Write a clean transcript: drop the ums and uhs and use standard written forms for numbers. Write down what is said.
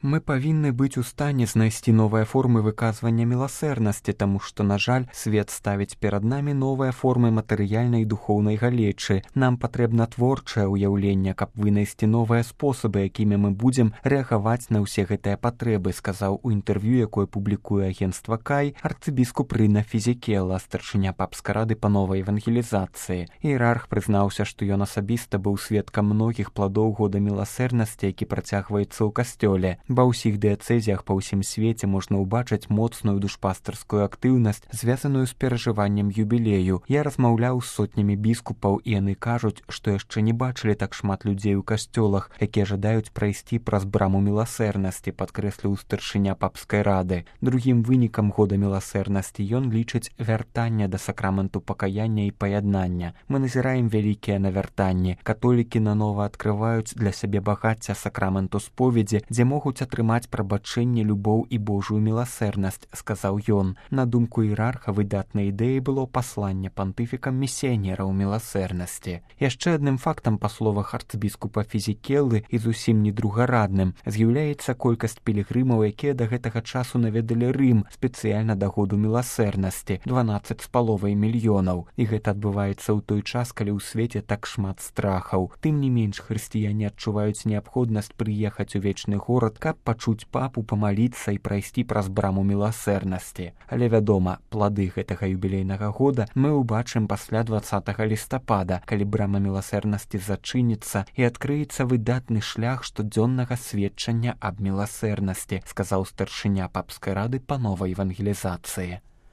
Мы павінны быць у стане знайсці новыя формы выказвання міласэрнасці, таму што, на жаль, свет ставіць перад намі новыя формы матэрыяльнай і духоўнай галечы. Нам патрэбна творчае ўяўленне, каб вынайсці новыя спосабы, якімі мы будзем рэагаваць на ўсе гэтыя патрэбы, сказаў у інтэрв'ю, якое публікуе агенцтва Кай, арцыбіскуп Рына Фізікела, старшыня папскай рады па новай евангелізацыі. Іерарх прызнаўся, што ён асабіста быў сведкам многіх пладоў года міласэрнасці, які працягваецца ў касцёле. Ва ўсіх дыяцэзіях па ўсім свеце можна ўбачыць моцную душпастарскую актыўнасць, звязаную з перажываннем юбілею. Я размаўляў з сотнямі біскупаў, і яны кажуць, што яшчэ не бачылі так шмат людзей у касцёлах, якія жадаюць прайсці праз браму міласэрнасці, падкрэсліў старшыня папскай рады. Другім вынікам года міласэрнасці ён лічыць вяртанне да сакраменту пакаяння і паяднання. Мы назіраем вялікія навяртанні. Католікі нанова адкрываюць для сябе багацця сакраменту споведзі, дзе могуць атрымаць прабачэнне, любоў і Божую міласэрнасць, сказаў ён. На думку іерарха, выдатнай ідэяй было пасланне пантыфікам місіянераў міласэрнасці. Яшчэ адным фактам, па словах арцыбіскупа Фізікелы, і зусім не другарадным, з'яўляецца колькасць пілігрымаў, якія да гэтага часу наведалі Рым спецыяльна да году міласэрнасці — 12,5 мільёнаў. І гэта адбываецца ў той час, калі ў свеце так шмат страхаў. Тым не менш, хрысціяне адчуваюць неабходнасць прыехаць у вечны горад, каб пачуць папу, памаліцца і прайсці праз браму міласэрнасці. Але, вядома, плады гэтага юбілейнага года мы ўбачым пасля 20 лістапада, калі брама міласэрнасці зачыніцца і адкрыецца выдатны шлях штодзённага сведчання аб міласэрнасці, сказаў старшыня папскай рады па новай евангелізацыі.